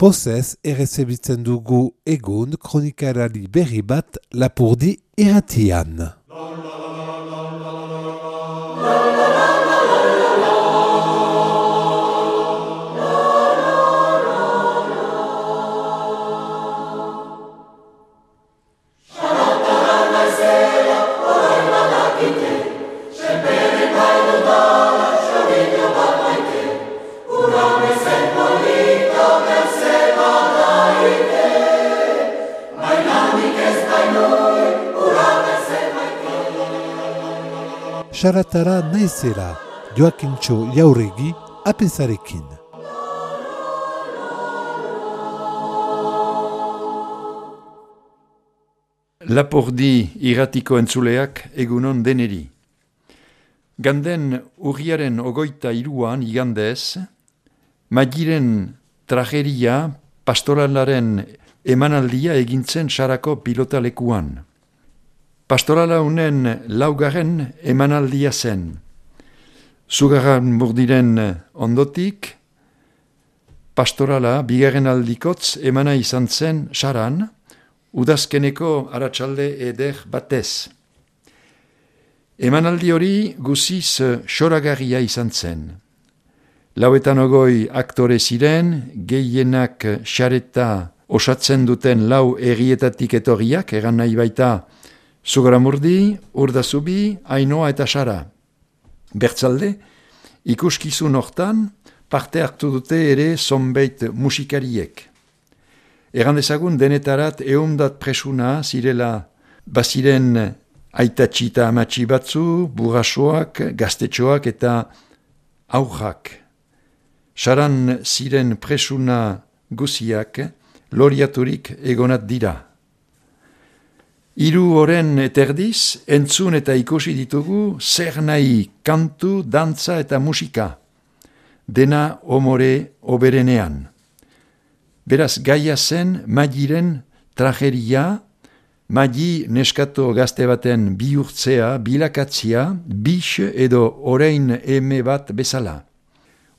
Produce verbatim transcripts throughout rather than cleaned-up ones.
Pozez errezebitzen dugu egun kronikarari berri bat Lapurdi irratian. Saratara naizera, Joakintxo Jauregi, apezarekin. Lapurdi irratiko entzuleak egunon deneri. Ganden urriaren ogoita iruan igandez, Magiren trageria pastoralaren emanaldia egintzen sarako pilotalekuan. Pastorala unen laugarren emanaldia zen. Zugarran Murdiren ondotik, pastorala bigarren aldikotz emana izan zen saran, udazkeneko aratsalde eder batez. Emanaldi hori guziz xoragarria izan zen. Lauetan ogoi aktore ziren, gehienak xareta osatzen duten lau errietatik etorriak, egan nahi baita Zugaramurdi, Urdazubi, Ainoa eta Sara. Bertzalde, ikuskizun hortan parte hartu dute ere zonbait musikariek. Egan dezagun denetarat eundat presuna zirela baziren aitatxi eta amatxi batzu, burrasoak, gaztetxoak eta aurrak. Saran ziren presuna guziak loriaturik egonat dira. Hiru oren eterdiz, entzun eta ikusi ditugu zer nahi kantu, dantza eta musika. Dena omore oberenean. Beraz gaia zen Magiren trageria, Magi neskato gazte baten bihurtzea, bilakatzia, bix edo orain eme bat bezala.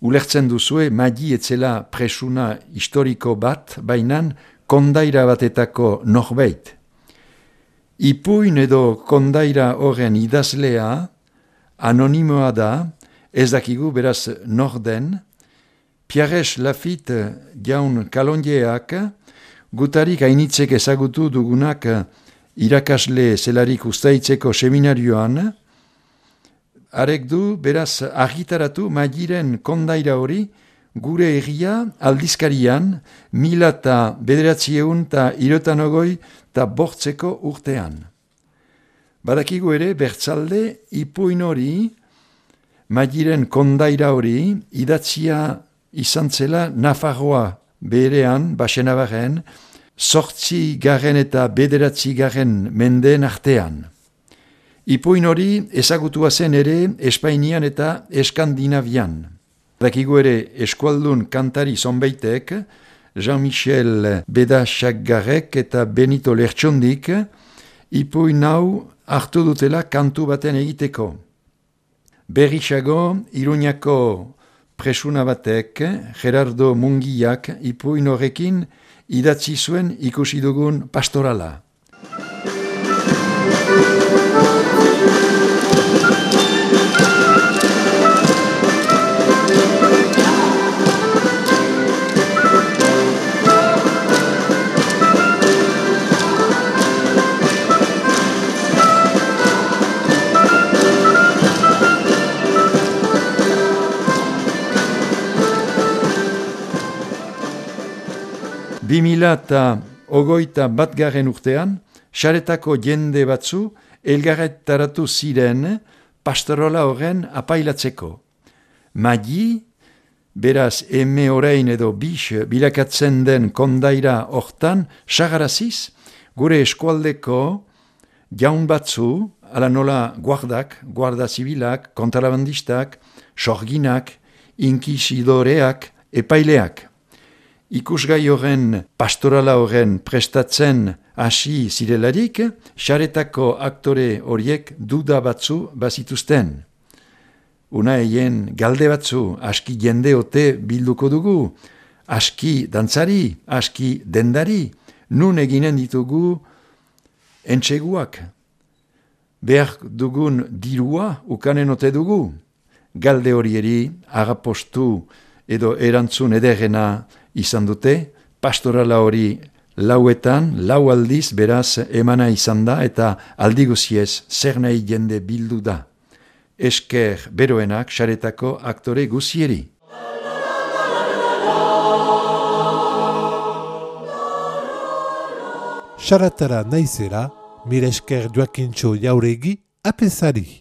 Ulertzen duzue Magi etzela presuna historiko bat, bainan kondaira batetako norbait. Ipuin edo kondaira horren idazlea, anonimoa da, ez dakigu beraz norden, Pierres Lafitte jaun kalonjeak, gutarik hainitzek ezagutu dugunak irakasle zelarik ustaitzeko seminarioan, arek du beraz argitaratu Magiren kondaira hori gure egia aldizkarian mila eta bederatzieun eta irotan ogoi eta bortzeko urtean. Badakigu ere bertzalde ipuin hori, Magiren kondaira hori, idatzia izan zela Nafarroa berean, Baxenabarren, sortzi garen eta bederatzi garen mendeen artean. Ipuin hori ezagutua zen ere Espainian eta Eskandinavian. Badakigu ere eskualdun kantari zonbaitek, Jean-Michel Bedaxagarrek eta Benito Lertxondik ipuin hau hartu dutela kantu baten egiteko. Berrixago, Iruñako presuna batek, Gerardo Mungiak ipuin horrekin idatzi zuen ikusi dugun pastorala. Bi mila eta ogoita batgarren urtean, xaretako jende batzu elgarretaratu ziren pastorola horren apailatzeko. Magi, beraz eme orain edo bix bilakatzen den kondaira hortan, sagaraziz, gure eskualdeko jaun batzu, ala nola guardak, guarda zibilak, kontrabandistak, sorginak, inkisidoreak, epaileak. Ikusgai horren pastorala horren prestatzen hasi zirelarik, xaretako aktore horiek duda batzu bazituzten. Una eien galde batzu aski jende ote bilduko dugu, aski dantzari, aski dendari, nun eginen ditugu entseguak. Behar dugun dirua ukanen ote dugu. Galde horieri agapostu edo erantzun ederrena izan dute, pastorala hori lauetan, lau aldiz beraz emana izan da eta aldi guziez zer nahi jende bildu da. Esker beroenak saretako aktore guzieri. Saratara naizera, mire esker Joakintxo Jauregi apesari.